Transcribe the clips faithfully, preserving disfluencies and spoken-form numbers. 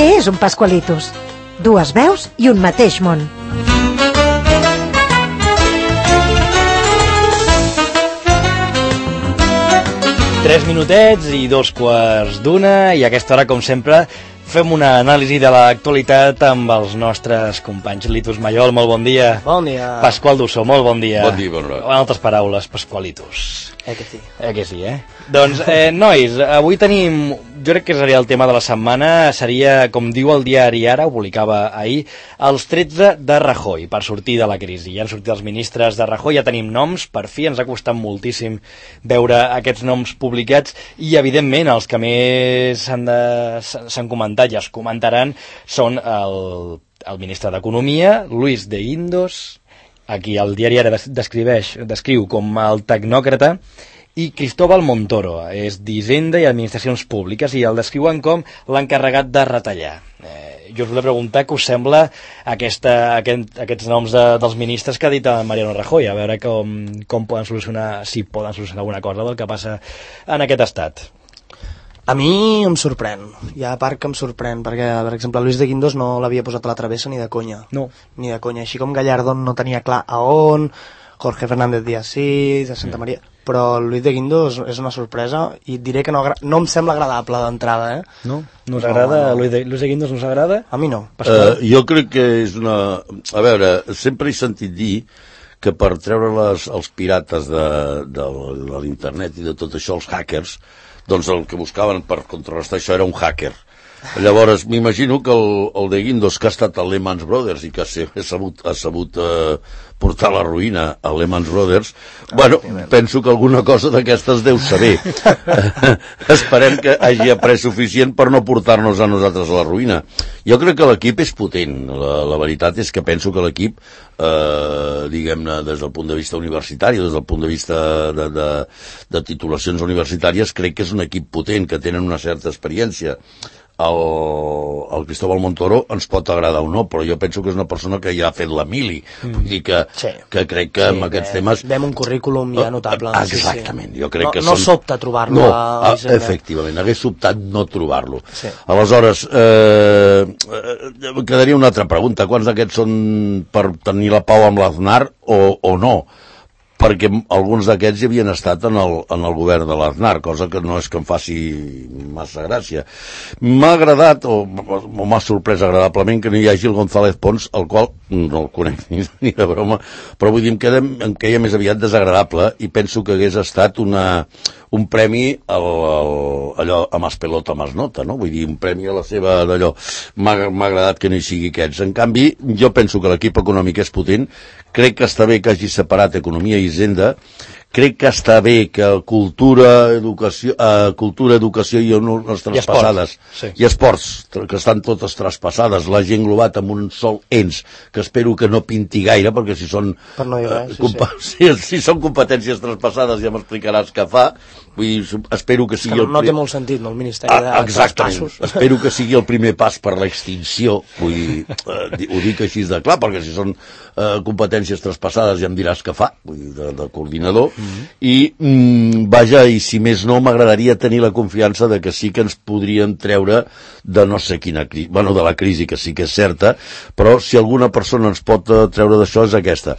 Què és un Pascualitos? Dues veus i un mateix món. Tres minutets i dos quarts d'una, i a aquesta hora, com sempre, fem una anàlisi de l'actualitat amb els nostres companys. Litus Mayol, molt bon dia. Bon dia. Pasqual Dussó, molt bon dia. Bon dia, bon dia. En altres paraules, Pasqualitus. Eh que sí. Eh que sí, eh? Doncs, eh, nois, avui tenim, jo crec que seria el tema de la setmana, seria, com diu el diari Ara, ho publicava ahir, els tretze de Rajoy, per sortir de la crisi. Ja han sortit els ministres de Rajoy, ja tenim noms, per fi ens ha costat moltíssim veure aquests noms publicats, i evidentment els que més s'han comentat i es comentaran són el, el ministre d'Economia, Luis de Guindos, aquí el diari Ara descriveix, descriu com el tecnòcrata, i Cristóbal Montoro, és d'Hisenda i Administracions Públiques, i el descriuen com l'encarregat de retallar. Eh, jo us volia preguntar què us sembla aquesta, aquest, aquests noms de, dels ministres que ha dit Mariano Rajoy, a veure com, com poden solucionar, si poden solucionar alguna cosa del que passa en aquest estat. A mi em sorprèn, hi ha part que em sorprèn, perquè, per exemple, Luis de Guindos no l'havia posat a la travessa ni de conya. No. Ni de conya, així com Gallardón no tenia clar a on, Jorge Fernández Díaz sí, de Santa Maria, però Luis de Guindos és una sorpresa, i et diré que no, no em sembla agradable d'entrada, eh? No? No us agrada? No, no. Luis, de, Luis de Guindos no us agrada? A mi no. Uh, jo crec que és una... A veure, sempre he sentit dir que per treure les, els pirates de, de, de l'internet i de tot això, els hackers, doncs el que buscaven per contrarrestar això era un hacker. Llavors, m'imagino que el, el de Guindos, que ha estat a Lehman Brothers i que ha sabut, ha sabut eh, portar la ruïna a Lehman Brothers, bueno, penso que alguna cosa d'aquestes deu saber. Esperem que hagi après suficient per no portar-nos a nosaltres a la ruïna. Jo crec que l'equip és potent. La, la veritat és que penso que l'equip, eh, diguem-ne, des del punt de vista universitari, des del punt de vista de, de, de titulacions universitàries, crec que és un equip potent, que tenen una certa experiència. El, el Cristóbal Montoro ens pot agradar o no, però jo penso que és una persona que ja ha fet la mili, mm. vull dir que, sí. que crec que sí, amb aquests bé, temes... Vem un currículum ja notable. Exactament, sí, sí. jo crec no, que no són... sobta trobar-lo no, a Hisenda. Efectivament, hagués sobtat no trobar-lo. Sí. Aleshores, eh, eh, quedaria una altra pregunta, quants d'aquests són per tenir la pau amb l'Aznar o, o no? Perquè alguns d'aquests hi havien estat en el, en el govern de l'Aznar, cosa que no és que em faci massa gràcia. M'ha agradat, o, o m'ha sorprès agradablement, que no hi hagi el González Pons, el qual no el conec ni, ni de broma, però vull dir, em queda, em queia més aviat desagradable, i penso que hagués estat una, un premi al, al, allò, a Mas Pelota, Mas Nota, no? Vull dir, un premi a la seva d'allò. M'ha agradat que no hi sigui aquests. En canvi, jo penso que l'equip econòmic és potent, crec que està bé que hagi separat economia i hisenda, crec que està bé que cultura, educació, eh, cultura, educació i unes traspassades, I esports, sí. i esports, que estan totes traspassades, l'hagi englobat amb un sol ens, que espero que no pinti gaire, perquè si són, per no dir res, sí, sí. si, si són competències traspassades ja m'explicaràs què fa. Vull dir, espero que sigui... Que no, el no té molt sentit, no, el Ministeri de ah, exactament. Traspassos. Espero que sigui el primer pas per l'extinció, vull dir, eh, ho dic així de clar, perquè si són eh, competències traspassades ja em diràs què fa, vull dir, de, de coordinador, mm-hmm. i mm, vaja, i si més no, m'agradaria tenir la confiança de que sí que ens podrien treure de no sé quina crisi, bueno, de la crisi, que sí que és certa, però si alguna persona ens pot treure d'això és aquesta.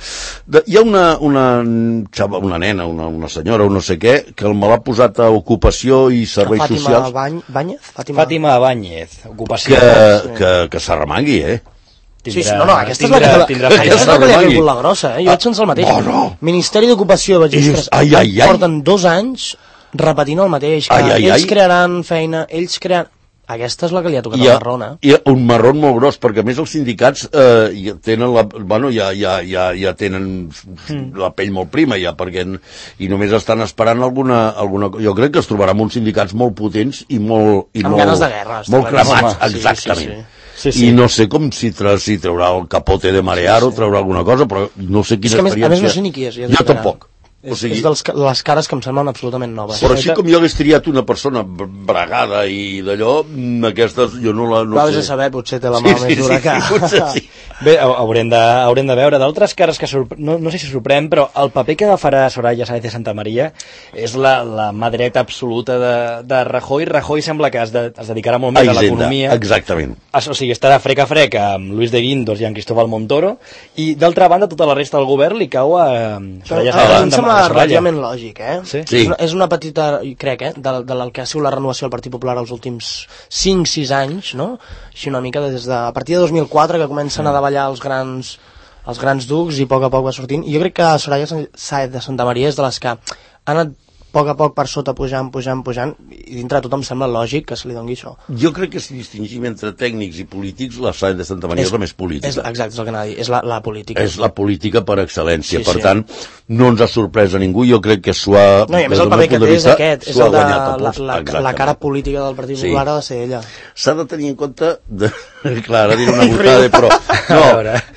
De, hi ha una, una, una nena, una, una senyora, o no sé què, que me l'ha posat a ocupació i serveis Fàtima socials. Bany, Báñez? Fàtima, Fàtima Báñez, ocupació. Que, que, que s'arremangui, eh? Tindrà, sí, sí, no, no, aquesta tindrà, és la que, tindrà aquesta és la que li ha vingut la grossa, eh? Jo ah, vaig sense el mateix. Oh, no. Ministeri d'Ocupació, vaig dir, ostres, ai, ai, ai. porten dos anys repetint el mateix, que ai, ai, ells ai. crearan feina, ells crearan... Aquesta és la que li ha tocat I ha, el marrón, eh? Hi ha un marrón molt gros, perquè a més els sindicats eh, ja tenen la, bueno, ja, ja, ja, ja tenen mm. la pell molt prima, ja, perquè i només estan esperant alguna, alguna... Jo crec que es trobarà amb uns sindicats molt potents i molt... I amb molt, ganes de guerra. Molt cremats, sí, exactament. Sí, sí, sí. Sí, sí. I no sé com si, tra, si traurà el capote de marear sí, sí. o traurà alguna cosa, però no sé quina és que experiència... A més no sé ni qui és. Jo tampoc. O sigui, és dels, les cares que em semblen absolutament noves. Però així com jo hagués triat una persona bregada i d'allò, aquestes jo no la... No Clar, sé. A saber, potser té la mà sí, més dura sí, que... Sí, potser sí. Bé, haurem de, haurem de veure d'altres cares que sorpre... no, no sé si sorprèn, però el paper que agafarà Soraya Sáez de Santamaría és la, la mà dreta absoluta de, de Rajoy. Rajoy sembla que es, de, es dedicarà molt més a, a l'economia. Exactament. O sigui, estarà frec a frec amb Luis de Guindos i amb Cristóbal Montoro, i d'altra banda tota la resta del govern li cau a Soraya Sáez de Santamaría. Relativament lògic, eh? Sí? Sí. És, una, és una petita, crec, eh? De, de la que ha sigut la renovació del Partit Popular els últims cinc sis anys, no? Així una mica des de... A partir de dos mil quatre que comencen a davallar els grans, els grans ducs i a poc a poc va sortint. I jo crec que Soraya Sáez de Santamaría és de les que ha anat a poc a poc per sota pujant, pujant, pujant, i dintre de tothom sembla lògic que se li doni això. Jo crec que si distingim entre tècnics i polítics, la Sáez de Santamaría és, és la més política. És, exacte, és el que anava a dir, és la, la política. És la política per excel·lència, sí, per sí. tant, no ens ha sorprès a ningú, jo crec que s'ho ha... No, i a més el paper que té és aquest, és el de la, la, la cara política del Partit sí. Popular ha de ser ella. S'ha de tenir en compte, de... clar, ara diré una botada, però no,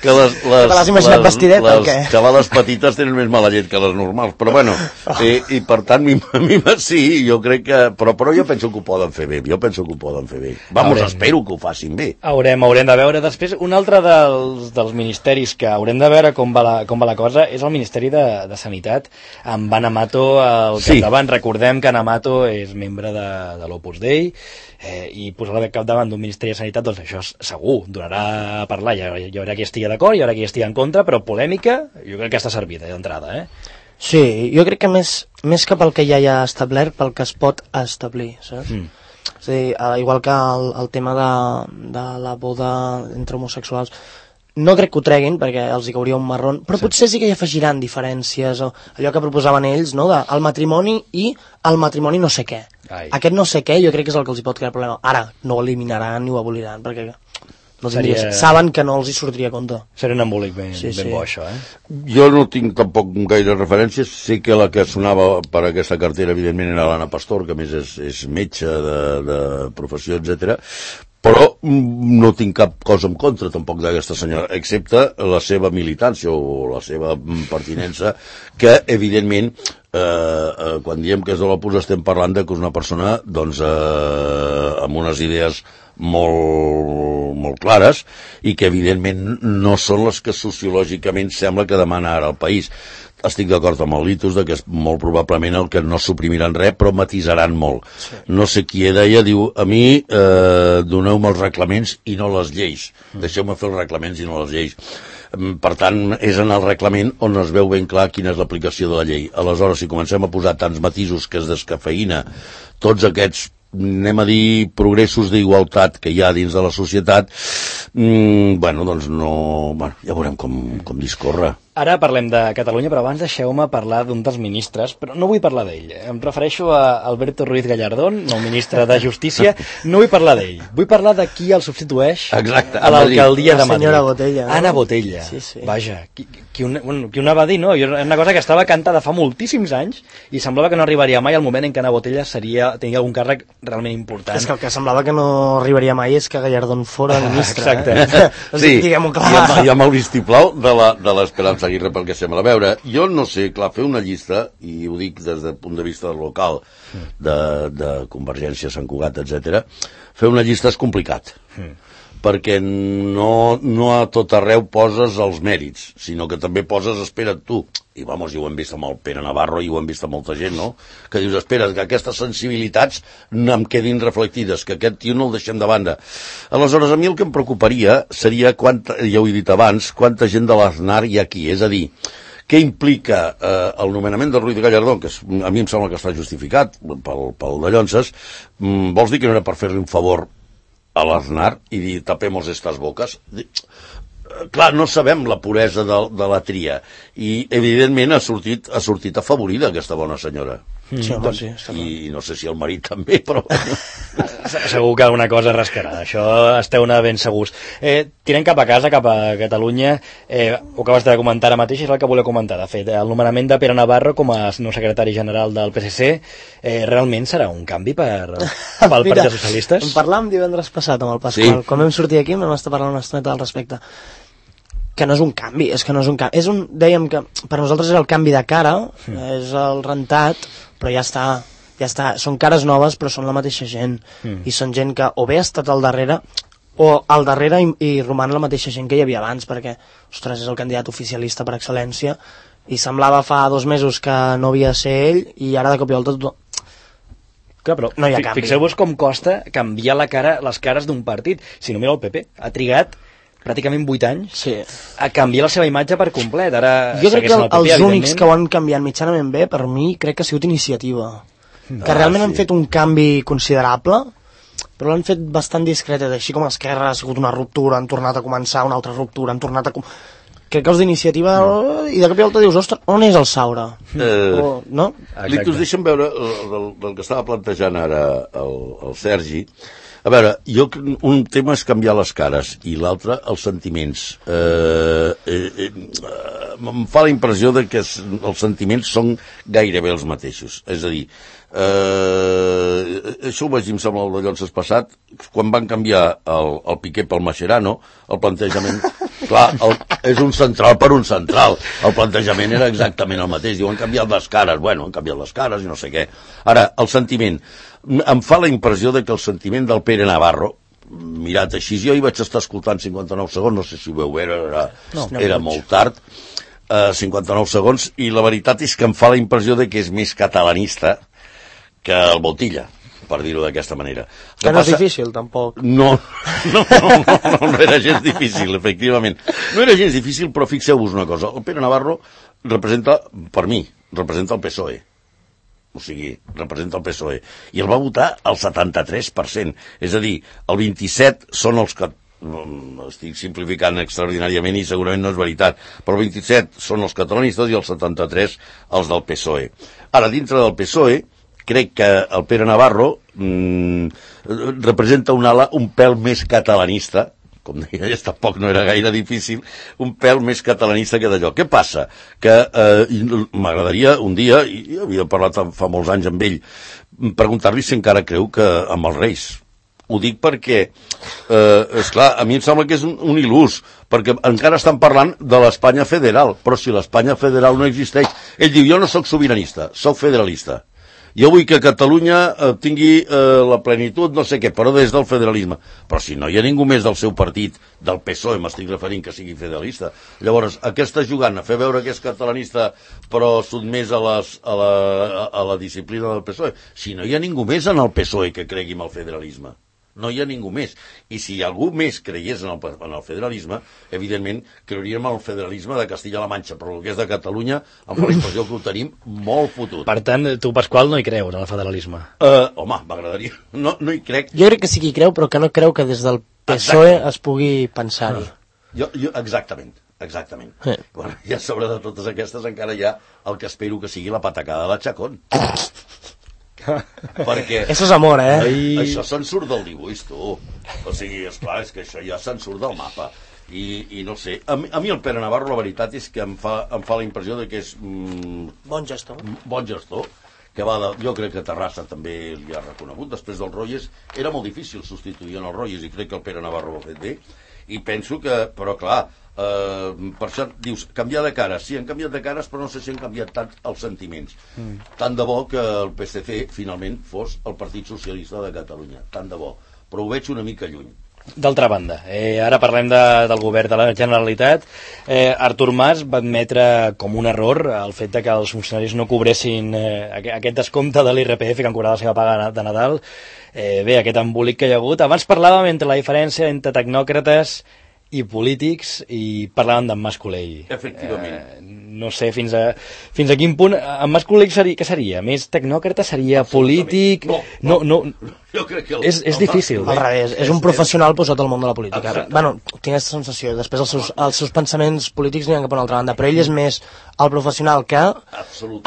que les, les, que l'has imaginat les, vestideta les o què? xavales petites tenen més mala llet que les normals, però bueno, i, i per tant, mi, mi, sí, jo crec que... Però, però jo penso que ho poden fer bé, jo penso que ho poden fer bé. Vamos, haurem... espero que ho facin bé. Haurem, haurem de veure. Després, un altre dels, dels ministeris que haurem de veure com va la, com va la cosa és el Ministeri de, de Sanitat, amb Ana Mato al sí. capdavant. Recordem que Ana Mato és membre de, de l'Opus Dei, eh, i posar-la al capdavant d'un Ministeri de Sanitat, doncs això segur, donarà a parlar. Hi haurà, hi haurà qui estigui d'acord, hi haurà qui estigui en contra, però polèmica, jo crec que està servida d'entrada, eh? Sí, jo crec que més, més que pel que ja hi ha establert, pel que es pot establir, saps? Mm. És a dir, igual que el, el tema de, de la boda entre homosexuals, no crec que ho treguin perquè els hi cauria un marrón, però sí. Potser sí que hi afegiran diferències, o allò que proposaven ells, no?, de el matrimoni i el matrimoni no sé què. Ai. Aquest no sé què jo crec que és el que els hi pot crear problema. Ara, no ho eliminaran ni ho aboliran, perquè... No Seria... saben que no els hi sortiria a compte. Seria un embolic ben, sí, ben sí. bo, això, eh? Jo no tinc tampoc gaire referències. Sé que la que sonava per aquesta cartera, evidentment, era l'Anna Pastor, que a més és, és metge de, de professió, etcètera. Però no tinc cap cosa en contra, tampoc, d'aquesta senyora, excepte la seva militància o la seva pertinença, que, evidentment, eh, eh, quan diem que és de l'Opus estem parlant de que és una persona, doncs, eh, amb unes idees molt, molt clares i que evidentment no són les que sociològicament sembla que demana ara el país. Estic d'acord amb el Litus de que és molt probablement el que no suprimiran res però matisaran molt. Sí. No sé qui deia, diu, a mi eh, doneu-me els reglaments i no les lleis. Mm. Deixeu-me fer els reglaments i no les lleis. Per tant, és en el reglament on es veu ben clar quina és l'aplicació de la llei. Aleshores, si comencem a posar tants matisos que es descafeïna tots aquests, anem a dir, progressos d'igualtat que hi ha dins de la societat, mm, bueno, doncs no... Bueno, ja veurem com, com discorre. Ara parlem de Catalunya, però abans deixeu-me parlar d'un dels ministres, però no vull parlar d'ell. Em refereixo a Alberto Ruiz Gallardón, nou ministre de Justícia. No vull parlar d'ell. Vull parlar de qui el substitueix. Exacte, a l'alcaldia de Madrid. Senyora Botella. No? Anna Botella. Sí, sí. Vaja, qui, qui, un, bueno, qui una va dir, no? És una cosa que estava cantada fa moltíssims anys i semblava que no arribaria mai al moment en què Anna Botella seria, tenia algun càrrec realment important. És que el que semblava que no arribaria mai és que Gallardón fora ministre. Exacte. Eh? Sí, diguem-ho clar. I amb, i amb el vistiplau de l'Esperança Aguirre, pel que sembla. A veure, jo no sé, clar, fer una llista, i ho dic des del punt de vista local, de, de Convergència, Sant Cugat, etcètera, fer una llista és complicat. Mm. perquè no, no a tot arreu poses els mèrits, sinó que també poses, espera't tu, i vamos, i ho hem vist amb el Pere Navarro i ho hem vist amb molta gent, no? Que dius, espera't, que aquestes sensibilitats no em quedin reflectides, que aquest tio no el deixem de banda. Aleshores, a mi el que em preocuparia seria, quanta, ja ho he dit abans, quanta gent de l'Aznar hi ha aquí, és a dir, què implica eh, el nomenament de Ruiz Gallardón, que és, a mi em sembla que està justificat pel, pel de Llonses, mm, vols dir que no era per fer-li un favor a l'Aznar i dir tapemos estas boques? Clar, no sabem la puresa de, de la tria i evidentment ha sortit, ha sortit afavorida aquesta bona senyora. Sí, home, sí, i no sé si el marit també, però segur que alguna cosa rascarà, això esteu-ne ben segurs. Eh, tirem cap a casa, cap a Catalunya, eh, ho acabes de comentar ara mateix, és el que volia comentar, de fet, el nomenament de Pere Navarro com a nou secretari general del P S C, eh, realment serà un canvi per, pel Partit dels Socialistes? En parlàvem divendres passat amb el Pasqual, sí. Quan vam sortir aquí vam estar parlant una estoneta al respecte. que no és un canvi, és que no és un canvi. És un, dèiem que per nosaltres és el canvi de cara, mm. és el rentat, però ja està, ja està. Són cares noves, però són la mateixa gent. Mm. I són gent que o bé ha estat al darrere, o al darrere i, i roman la mateixa gent que hi havia abans, perquè, ostres, és el candidat oficialista per excel·lència, i semblava fa dos mesos que no havia de ser ell, i ara de cop i volta tot... Clar, però no hi ha canvi. Fixeu-vos com costa canviar la cara, les cares d'un partit. Si no mireu el P P, ha trigat pràcticament vuit anys sí. a canviar la seva imatge per complet. Ara jo crec que el, el P P, els únics que ho han canviat mitjanament bé, per mi, crec que ha sigut Iniciativa. Mm. Que realment ah, sí. han fet un canvi considerable, però l'han fet bastant discretet, així com Esquerra ha sigut una ruptura, han tornat a començar una altra ruptura, han tornat a... Crec que els d'Iniciativa, no. I de cop i volta dius, ostres, on és el Saura? Eh, o, no? Litus, deixa'm veure el, del, del que estava plantejant ara el, el Sergi. A veure, jo, un tema és canviar les cares i l'altre els sentiments. Eh, eh, eh, em fa la impressió de que els sentiments són gairebé els mateixos. És a dir, eh, això ho vaig dir, em sembla, el de Llonses passat, quan van canviar el, el Piqué pel Mascherano, el plantejament... Clar, el, és un central per un central. El plantejament era exactament el mateix. Diu, han canviat les cares. Bueno, han canviat les cares i no sé què. Ara, el sentiment. Em fa la impressió de que el sentiment del Pere Navarro, mirat així, jo hi vaig estar escoltant cinquanta-nou segons, no sé si ho veu veure, era, no, era no molt tard, uh, cinquanta-nou segons, i la veritat és que em fa la impressió de que és més catalanista que el Botilla, per dir-ho d'aquesta manera. Que, que no passa... és difícil, tampoc. No, no, no, no, no, no era gens difícil, efectivament. No era gens difícil, però fixeu-vos una cosa. El Pere Navarro representa, per mi, representa el P S O E. O sigui, representa el P S O E. I el va votar el setanta-tres per cent. És a dir, el vint-i-set són els que... estic simplificant extraordinàriament i segurament no és veritat, però el vint-i-set són els catalanistes i el setanta-tres els del P S O E. Ara, dintre del P S O E, crec que el Pere Navarro mmm, representa un ala un pèl més catalanista, com deia, tampoc no era gaire difícil, un pèl més catalanista que d'allò. Què passa? Que eh, m'agradaria un dia, i havia parlat fa molts anys amb ell, preguntar-li si encara creu que amb els Reis. Ho dic perquè, eh, esclar, a mi em sembla que és un, un il·lús, perquè encara estan parlant de l'Espanya federal, però si l'Espanya federal no existeix... Ell diu, jo no sóc sobiranista, sóc federalista. Jo vull que Catalunya eh, tingui eh, la plenitud, no sé què, però des del federalisme. Però si no hi ha ningú més del seu partit, del P S O E, m'estic referint que sigui federalista. Llavors, aquesta jugant a fer veure que és catalanista però sotmès a, les, a, la, a la disciplina del P S O E, si no hi ha ningú més en el P S O E que cregui en el federalisme. No hi ha ningú més. I si algú més creiés en el, en el federalisme, evidentment creuríem en el federalisme de Castilla-La Manxa, però el que és de Catalunya, amb la impressió que ho tenim molt fotut. Per tant, tu, Pasqual, no hi creus en el federalisme? Uh, home, m'agradaria. No, no hi crec. Jo crec que sí que hi creu, però que no creu que des del P S O E Exacte. Es pugui pensar-hi. Jo, jo, exactament. Exactament. Sí. Bueno, i a sobre de totes aquestes encara hi ha el que espero que sigui la patacada de la Chacón. Perquè això és amor, eh? Ai... això se'n surt del dibuix, tu. O sigui, esclar, és que això ja se'n surt del mapa. I, i no sé, a mi, a mi el Pere Navarro la veritat és que em fa, em fa la impressió de que és mm, bon gestor bon gestor, que va de, jo crec que Terrassa també li ha reconegut després del Royes. Era molt difícil substituir en el Royes i crec que el Pere Navarro ho ha fet bé, i penso que, però clar, Uh, per això dius, canviar de cares, sí, han canviat de cares, però no sé si han canviat tant els sentiments. Mm. Tant de bo que el P S C finalment fos el Partit Socialista de Catalunya, tant de bo, però ho veig una mica lluny. D'altra banda, eh, ara parlem de, del govern de la Generalitat. eh, Artur Mas va admetre com un error el fet de que els funcionaris no cobressin eh, aquest descompte de l'I R P F que han cobrat la seva paga de Nadal. eh, Bé, aquest embolic que hi ha hagut. Abans parlàvem entre la diferència entre tecnòcrates i polítics, i parlàvem d'en Mas Colell. Efectivament. Eh, no sé fins a, fins a quin punt... En Mas Colell seria, què seria? Més tecnòcrata? Seria polític? No, no, no, no. Jo crec que el, és, és difícil. Al revés, és un professional posat al món de la política. Exacte. Bueno, tinc aquesta sensació. Després els seus, els seus pensaments polítics n'hi ha cap a una altra banda, però ell és més el professional que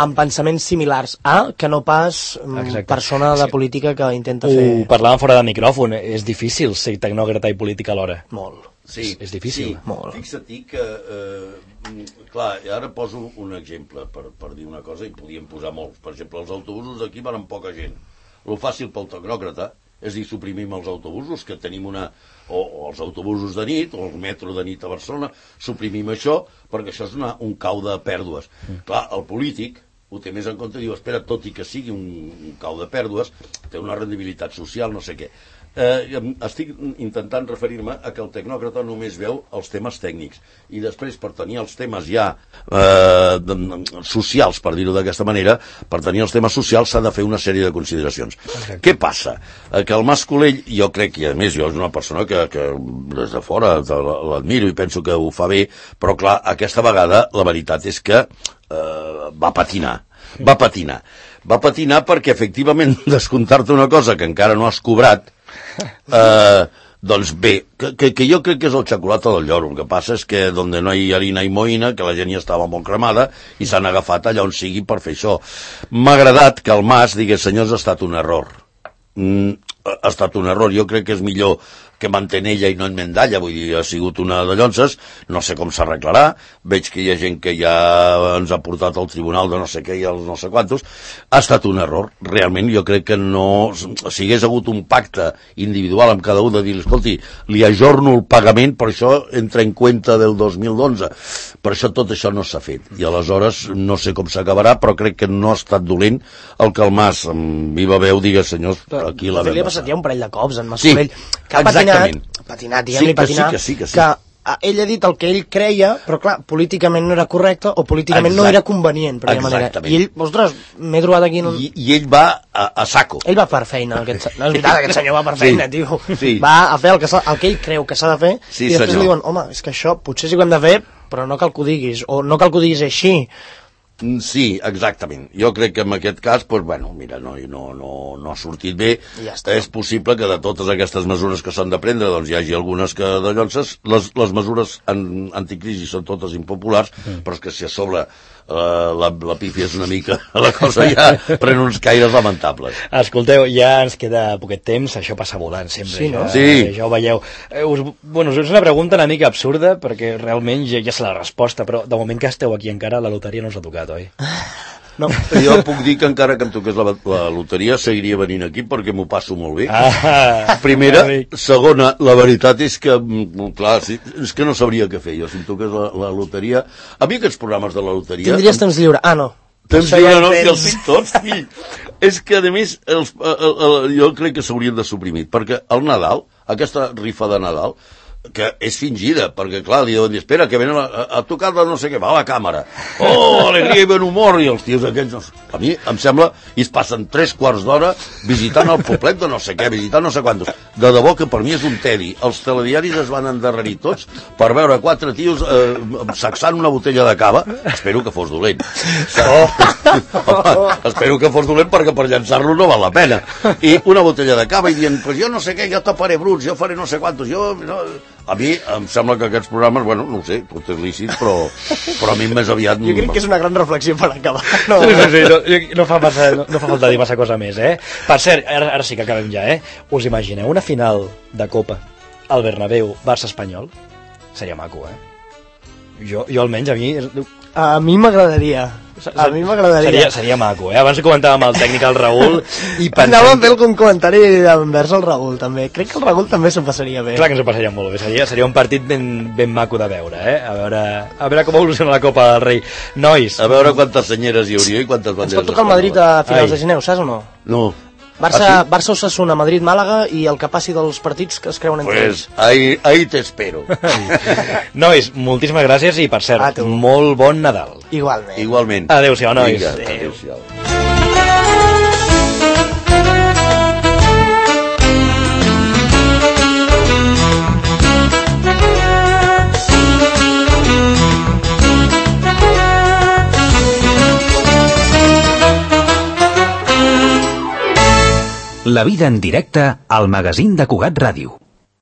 amb pensaments similars a que no pas Exacte. Persona de política que intenta fer... Ho parlàvem fora de micròfon. És difícil ser tecnòcrata i política alhora. Molt. Sí, és difícil. Sí. Molt. Fixa't que, eh, clar, ara poso un exemple per, per dir una cosa, i podíem posar molts. Per exemple, els autobusos d'aquí van amb poca gent. Lo fàcil pel tecnòcrata és a dir, suprimim els autobusos, que tenim una... O, o els autobusos de nit, o el metro de nit a Barcelona, suprimim això, perquè això és una, un cau de pèrdues. Mm. Clar, el polític ho té més en compte, diu, espera, tot i que sigui un, un cau de pèrdues, té una rendibilitat social, no sé què. Eh, estic intentant referir-me a que el tecnòcrata només veu els temes tècnics i després per tenir els temes ja eh, socials, per dir-ho d'aquesta manera, per tenir els temes socials s'ha de fer una sèrie de consideracions. Exacte. Què passa? Eh, que el Mas Colell, jo crec que a més jo és una persona que, que des de fora l'admiro i penso que ho fa bé, però clar, aquesta vegada la veritat és que eh, va patinar va patinar va patinar perquè efectivament descomptar-te una cosa que encara no has cobrat, eh, doncs bé, que, que, que jo crec que és el xocolata del lloro. El que passa és que donde no hi ha harina i moïna, que la gent ja estava molt cremada i s'han agafat allà on sigui per fer això. M'ha agradat que el Mas digués, senyors, ha estat un error. Mm, ha estat un error. Jo crec que és millor que mantén ella i no enmendalla, vull dir, ha sigut una de llonces, no sé com s'arreglarà, veig que hi ha gent que ja ens ha portat al tribunal de no sé què i els no sé quantos, ha estat un error, realment jo crec que no, si hagués hagut un pacte individual amb cada un de dir, escolti, li ajorno el pagament, per això entra en compte del dos mil onze, per això tot això no s'ha fet, i aleshores no sé com s'acabarà, però crec que no ha estat dolent el que el Mas, amb viva veu, digués, senyors, aquí la vam li ha passat ja un parell de cops, en Mas sí, Colell, que ha patinat, patinat, diguem-li sí, patinar, que sí, que sí, que sí. que ell ha dit el que ell creia, però clar, políticament no era correcte o políticament Exacte. no era convenient, per manera. I ell, ostres, m'he trobat aquí en un... I, i ell va a, a saco. Ell va per feina, aquest, no és veritat, aquest senyor va per feina, sí, tio. Sí. Va a fer el que, el que ell creu que s'ha de fer, sí, i després senyor. li diuen, home, és que això potser sí que ho hem de fer, però no cal que ho diguis, o no cal que ho diguis així. Sí, exactament. Jo crec que en aquest cas, pues, bueno, mira, no, no, no, no ha sortit bé. Ja està. És possible que de totes aquestes mesures que s'han de prendre, doncs hi hagi algunes que de llonces. Les, les mesures en, anticrisi són totes impopulars, mm. però és que si a sobre eh, la, la pífia és una mica, la cosa ja pren uns caires lamentables. Escolteu, ja ens queda poquet temps, això passa volant sempre. Sí, no? Ja, sí. ja ho veieu. Eh, us, bueno, és una pregunta una mica absurda, perquè realment ja, ja sé la resposta, però de moment que esteu aquí encara, la loteria no us ha tocat, oi? No, jo puc dir que encara que em toqués la, la loteria seguiria venint aquí perquè m'ho passo molt bé. Ah, Primera, segona, la veritat és que clar, sí, és que no sabria què fer jo si em toqués la, la loteria. A mi aquests programes de la loteria... Tindries temps lliure. Ah, no. Temps lliure no, si els tinc tots, fill. És que, a més, els, el, el, jo crec que s'haurien de suprimir, perquè el Nadal, aquesta rifa de Nadal, que és fingida, perquè clar, li deuen dir, espera, que venen a, a tocar de no sé què, va a la càmera, oh, alegria i bon humor, i els tios aquests, no, a mi em sembla, i es passen tres quarts d'hora visitant el poblet de no sé què, visitant no sé quantos, de debò que per mi és un tedi, els telediaris es van endarrerir tots per veure quatre tios eh, sacsant una botella de cava, espero que fos dolent, oh. Home, espero que fos dolent perquè per llançar-lo no val la pena, i una botella de cava i dient, pues jo no sé què, jo taparé bruts, jo faré no sé quantos, jo... No... A mi em sembla que aquests programes, bueno, no ho sé, tot és lícit, però, però a mi més aviat... Jo crec que és una gran reflexió per acabar. No, sí, sí, sí, no, no, fa massa, no, no fa falta dir massa cosa més, eh? Per cert, ara, ara sí que acabem ja, eh? Us imagineu una final de Copa al Bernabéu, Barça-Espanyol? Seria maco, eh? Jo, jo almenys, a mi... A mi m'agradaria. A mi m'agradaria. Seria, seria maco, eh? Abans comentàvem el tècnic, el Raül, i pensem... Anàvem a fer algun comentari envers el Raül, també. Crec que el Raül també s'ho passaria bé. Clar que ens ho passaria molt bé. Seria, seria un partit ben, ben maco de veure, eh? A veure, a veure com evoluciona la Copa del Rei. Nois... A veure quantes senyeres hi hauria i quantes banderes... Ens pot tocar el Madrid a finals Ai. de gener, ho saps o no? No. Barça, ah, sí? Barça Osasuna, Madrid, Màlaga i el que passi dels partits que es creuen entre pues, ells. Ahí, ahí t'espero. Nois, moltíssimes gràcies i per cert, ah, molt bon Nadal. Igualment. Igualment. Adéu-siau, nois. Vinga, adéu-siau. La vida en directe al magazín de Cugat Ràdio.